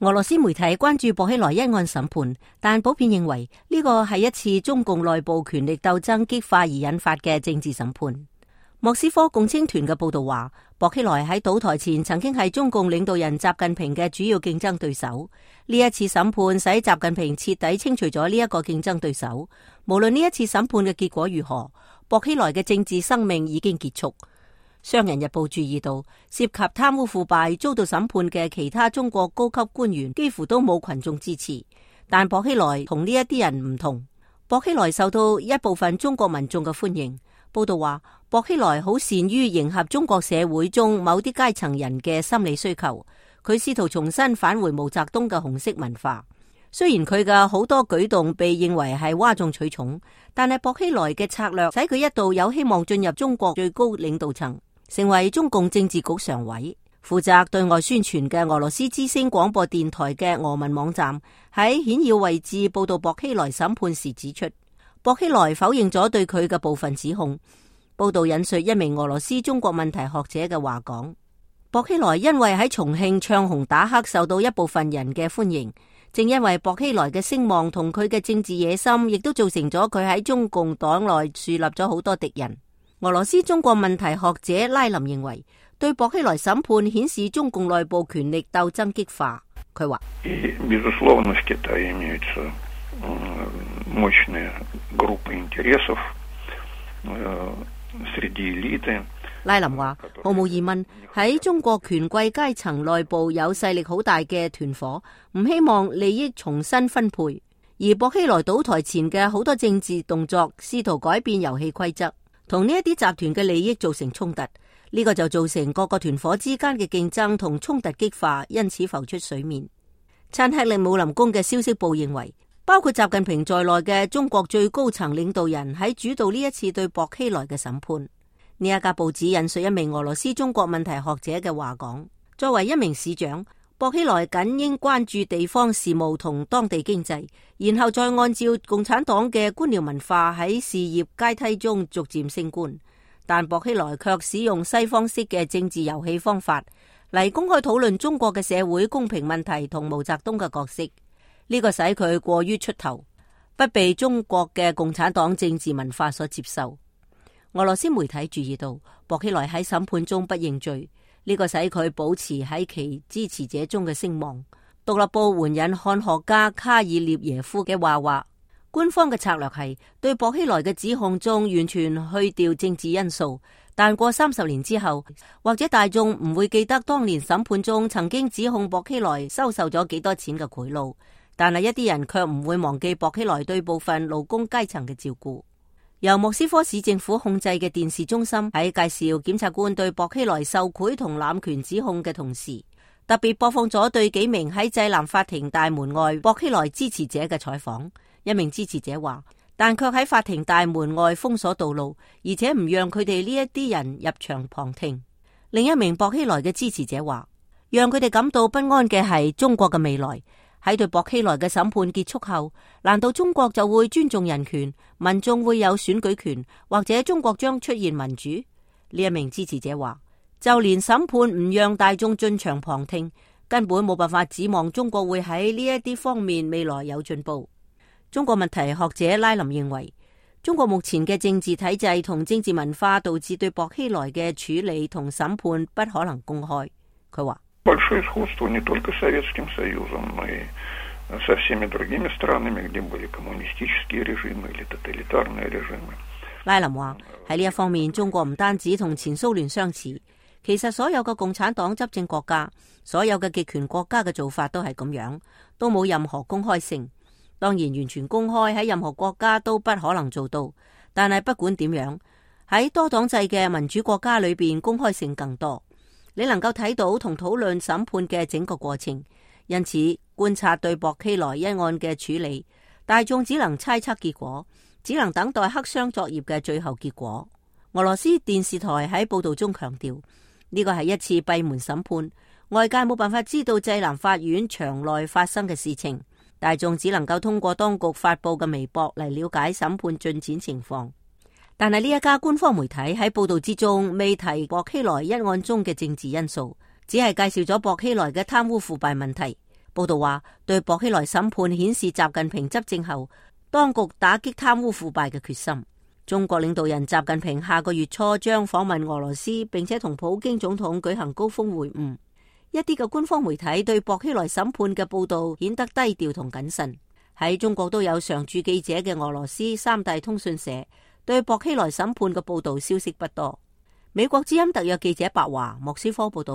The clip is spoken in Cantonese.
俄羅斯媒體關注薄熙來一案審判，但普遍認為呢個係一次中共內部權力鬥爭激化而引發嘅政治審判。莫斯科共青團嘅報道話，薄熙來喺倒台前曾經係中共領導人習近平嘅主要競爭對手。呢一次審判使習近平徹底清除咗呢一個競爭對手。無論呢一次審判嘅結果如何，薄熙來嘅政治生命已經結束。商人日報注意到，涉及貪污腐敗遭到審判嘅其他中國高級官員幾乎都冇群眾支持，但薄熙來同呢一啲人唔同。薄熙來受到一部分中國民眾嘅歡迎。報道話，薄熙來好善於迎合中國社會中某啲階層人嘅心理需求，佢試圖重新返回毛澤東嘅紅色文化。雖然佢嘅好多舉動被認為係嘩眾取寵，但係薄熙來嘅策略使佢一度有希望進入中國最高領導層，成為中共政治局常委。負責對外宣傳嘅俄羅斯之聲廣播電台嘅俄文網站喺顯要位置報道薄熙來審判時指出，薄熙來否認咗對佢嘅部分指控。報道引述一名俄羅斯中國問題學者嘅話講，薄熙來因為喺重慶唱紅打黑受到一部分人嘅歡迎，正因為薄熙來嘅聲望同佢嘅政治野心，亦都造成咗佢喺中共黨內樹立咗好多敵人。俄羅斯中國問題學者拉林認為，對薄熙來審判顯示中共內部權力鬥爭激化。佢話，拉林話，毫無疑問喺中國權貴階層內部有勢力好大嘅團夥，唔希望利益重新分配。而薄熙來倒台前嘅好多政治動作，試圖改變遊戲規則，同呢一啲集團嘅利益造成衝突。呢個就造成各個團夥之間嘅競爭同衝突激化，因此浮出水面。親克里姆林宮嘅消息報認為，包括習近平在內嘅中國最高層領導人喺主導呢一次對薄熙來嘅審判。呢一家報紙引述一名俄羅斯中國問題學者嘅話講，作為一名市長，薄熙來僅應關注地方事務同當地經濟，然後再按照共產黨嘅官僚文化喺事業階梯中逐漸升官。但薄熙來卻使用西方式嘅政治遊戲方法嚟公開討論中國嘅社會公平問題同毛澤東嘅角色。呢個使佢過於出頭，不被中國嘅共產黨政治文化所接受。俄羅斯媒體注意到，薄熙來喺審判中不認罪，呢個使佢保持喺其支持者中嘅聲望。獨立報援引漢學家卡爾列耶夫嘅話，官方嘅策略係對薄熙來嘅指控中完全去掉政治因素，但過30年之後，或者大眾唔會記得當年審判中曾經指控薄熙來收受咗幾多錢嘅賄賂，但係一啲人卻唔會忘記薄熙來對部分勞工階層嘅照顧。由莫斯科市政府控制嘅電視中心喺介紹檢察官對薄熙來受賄同濫權指控嘅同時，特別播放咗對幾名喺濟南法庭大門外薄熙來支持者嘅採訪。一名支持者話，但卻喺法庭大門外封鎖道路，而且唔讓佢哋呢一啲人入場旁聽。另一名薄熙來嘅支持者話，讓佢哋感到不安嘅係中國嘅未來。喺對薄熙來嘅審判結束後，難道中國就會尊重人權，民眾會有選舉權，或者中國將出現民主？呢一名支持者話，就連審判唔讓大眾進場旁聽，根本冇辦法指望中國會喺呢一啲方面未來有進步。中國問題學者拉林認為，中國目前嘅政治體制同政治文化導致對薄熙來嘅處理同審判不可能公開。佢話，拉林話，喺呢一方面，中國唔單止同前蘇聯相似，其實所有嘅共產黨執政國家，所有嘅極權國家嘅做法都係咁樣，都冇任何公開性。當然，完全公開喺任何國家都不可能做到，但係不管點樣，喺多黨制嘅民主國家裏邊，公開性更多。你能夠睇到同討論審判嘅整個過程，因此觀察對薄熙來一案嘅處理，大眾只能猜測結果，只能等待黑箱作業嘅最後結果。俄羅斯電視台喺報道中強調，呢個係一次閉門審判，外界冇辦法知道濟南法院場內發生嘅事情。大眾只能夠通過當局發佈嘅微博嚟了解審判進展情況，但係呢一家官方媒體喺報道之中未提薄熙來一案中嘅政治因素，只係介紹咗薄熙來嘅貪污腐敗問題。報道話，對薄熙來審判顯示習近平執政後當局打擊貪污腐敗嘅決心。中國領導人習近平下個月初將訪問俄羅斯，並且同普京總統舉行高峰會晤。一啲嘅官方媒體對薄熙來審判嘅報道顯得低調同謹慎。喺中國都有常駐記者嘅俄羅斯三大通訊社對薄熙來審判嘅報道消息不多。美國之音特約記者白華莫斯科報道，